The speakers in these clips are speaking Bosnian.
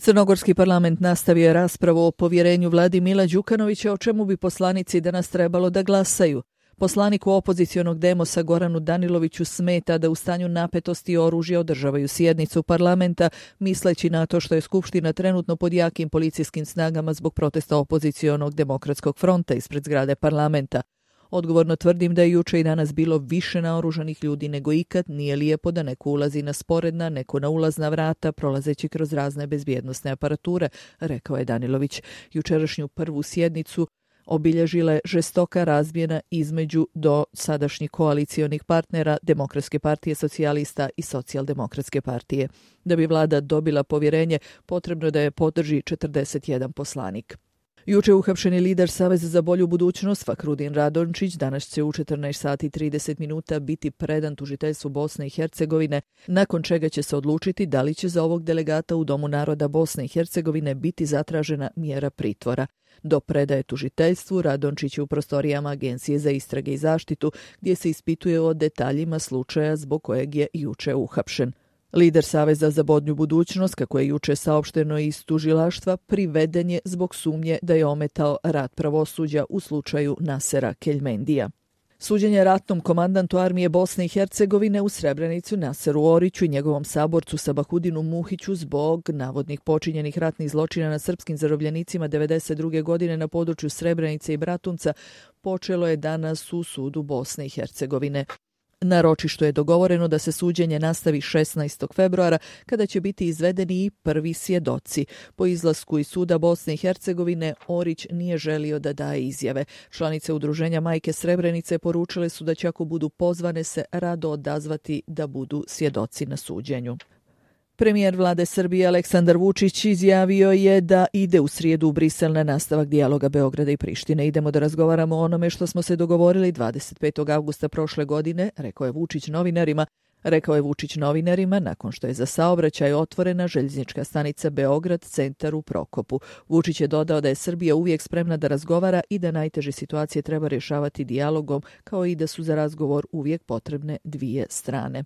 Crnogorski parlament nastavio je raspravu o povjerenju vladi Mila Đukanovića, o čemu bi poslanici danas trebalo da glasaju. Poslaniku opozicionog Demosa Goranu Daniloviću smeta da u stanju napetosti i oružja održavaju sjednicu parlamenta, misleći na to što je Skupština trenutno pod jakim policijskim snagama zbog protesta opozicionog Demokratskog fronta ispred zgrade parlamenta. Odgovorno tvrdim da je juče i danas bilo više naoružanih ljudi nego ikad, nije lijepo da neko ulazi na sporedna, neko na ulazna vrata, prolazeći kroz razne bezbjednosne aparature, rekao je Danilović. Jučerašnju prvu sjednicu obilježila je žestoka razmjena između do sadašnjih koalicionih partnera Demokratske partije socijalista i Socijaldemokratske partije. Da bi vlada dobila povjerenje, potrebno je da je podrži 41 poslanik. Juče uhapšeni lider Saveza za bolju budućnost Fakrudin Radončić danas će u 14:30 biti predan tužiteljstvu Bosne i Hercegovine, nakon čega će se odlučiti da li će za ovog delegata u Domu naroda Bosne i Hercegovine biti zatražena mjera pritvora. Do predaje tužiteljstvu Radončić je u prostorijama Agencije za istrage i zaštitu, gdje se ispituje o detaljima slučaja zbog kojeg je juče uhapšen. Lider Saveza za bolju budućnost, kako je juče saopšteno iz tužilaštva, priveden je zbog sumnje da je ometao rad pravosuđa u slučaju Nasera Keljmendija. Suđenje ratnom komandantu armije Bosne i Hercegovine u Srebrenicu Naseru Oriću i njegovom saborcu Sabahudinu Muhiću zbog navodnih počinjenih ratnih zločina na srpskim zarobljenicima 1992. godine na području Srebrenice i Bratunca počelo je danas u sudu Bosne i Hercegovine. Na ročištu je dogovoreno da se suđenje nastavi 16. februara, kada će biti izvedeni i prvi svjedoci. Po izlasku iz suda Bosne i Hercegovine, Orić nije želio da daje izjave. Članice udruženja Majke Srebrenice poručile su da će, ako budu pozvane, se rado odazvati da budu svjedoci na suđenju. Premijer vlade Srbije Aleksandar Vučić izjavio je da ide u srijedu u Brisel na nastavak dijaloga Beograda i Prištine. Idemo da razgovaramo o onome što smo se dogovorili 25. avgusta prošle godine, rekao je Vučić novinarima nakon što je za saobraćaj otvorena željeznička stanica Beograd centar u Prokopu. Vučić je dodao da je Srbija uvijek spremna da razgovara i da najteže situacije treba rješavati dijalogom, kao i da su za razgovor uvijek potrebne dvije strane.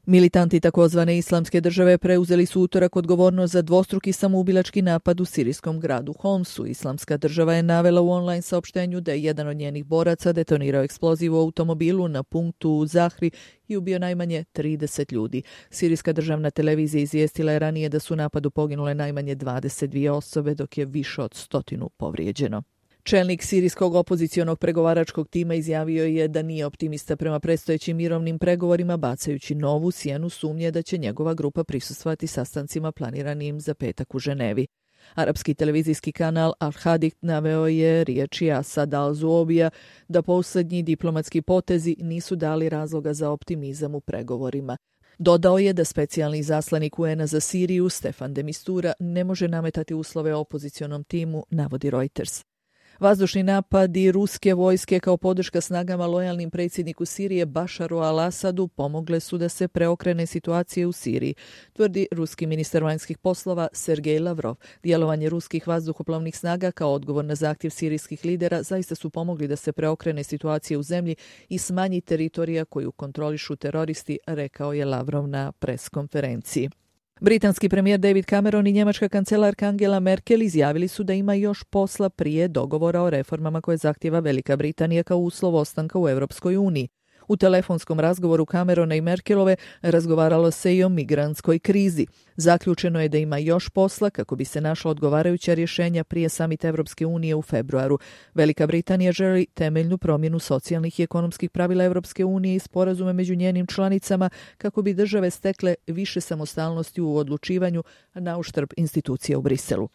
Militanti takozvane islamske države preuzeli su utorak odgovornost za dvostruki samoubilački napad u sirijskom gradu Homsu. Islamska država je navela u online saopštenju da je jedan od njenih boraca detonirao eksploziv u automobilu na punktu u Zahri i ubio najmanje 30 ljudi. Sirijska državna televizija izvijestila je ranije da su u napadu poginule najmanje 22 osobe, dok je više od 100 povrijeđeno. Čelnik sirijskog opozicionog pregovaračkog tima izjavio je da nije optimista prema predstojećim mirovnim pregovorima, bacajući novu sjenu sumnje da će njegova grupa prisustvovati sastancima planiranim za petak u Ženevi. Arapski televizijski kanal Al-Hadith naveo je riječi Asad al-Zuobija da posljednji diplomatski potezi nisu dali razloga za optimizam u pregovorima. Dodao je da specijalni izaslanik UN-a za Siriju Stefan de Mistura ne može nametati uslove opozicionom timu, navodi Reuters. Vazdušni napadi ruske vojske kao podrška snagama lojalnim predsjedniku Sirije Bašaru al-Asadu pomogle su da se preokrene situacije u Siriji, tvrdi ruski ministar vanjskih poslova Sergej Lavrov. Djelovanje ruskih vazduhoplovnih snaga kao odgovor na zahtjev sirijskih lidera zaista su pomogli da se preokrene situacije u zemlji i smanji teritorija koju kontrolišu teroristi, rekao je Lavrov na preskonferenciji. Britanski premijer David Cameron i njemačka kancelarka Angela Merkel izjavili su da ima još posla prije dogovora o reformama koje zahtjeva Velika Britanija kao uslov ostanka u Europskoj uniji. U telefonskom razgovoru Camerona i Merkelove razgovaralo se i o migrantskoj krizi. Zaključeno je da ima još posla kako bi se našla odgovarajuća rješenja prije samita Europske unije u februaru. Velika Britanija želi temeljnu promjenu socijalnih i ekonomskih pravila Europske unije i sporazume među njenim članicama kako bi države stekle više samostalnosti u odlučivanju na uštrb institucija u Briselu.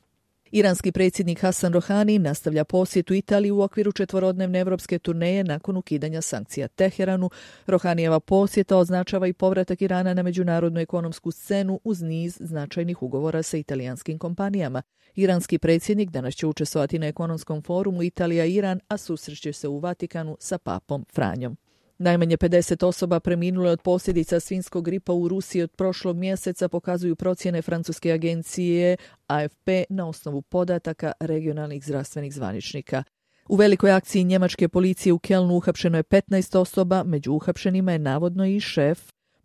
Iranski predsjednik Hasan Rohani nastavlja posjetu Italiji u okviru 4-dnevne evropske turneje nakon ukidanja sankcija Teheranu. Rohanijeva posjeta označava i povratak Irana na međunarodnu ekonomsku scenu uz niz značajnih ugovora sa italijanskim kompanijama. Iranski predsjednik danas će učestvovati na ekonomskom forumu Italija-Iran, a susreće se u Vatikanu sa papom Franjom. Najmanje 50 osoba preminulo je od posljedica svinjskog gripa u Rusiji od prošlog mjeseca, pokazuju procjene francuske agencije AFP na osnovu podataka regionalnih zdravstvenih zvaničnika. U velikoj akciji njemačke policije u Kelnu uhapšeno je 15 osoba, među uhapšenima je navodno i šef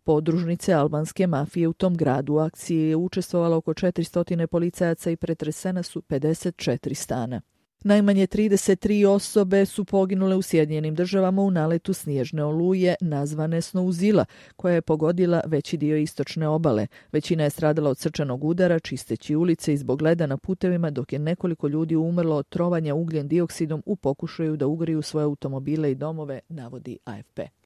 podružnice albanske mafije u tom gradu. U akciji je učestvovalo oko 400 policajaca i pretresena su 54 stana. Najmanje 33 osobe su poginule u Sjedinjenim Državama u naletu snježne oluje nazvane Snowzilla, koja je pogodila veći dio istočne obale. Većina je stradala od srčanog udara, čisteći ulice i zbog leda na putevima, dok je nekoliko ljudi umrlo od trovanja ugljen dioksidom u pokušaju da ugriju svoje automobile i domove, navodi AFP.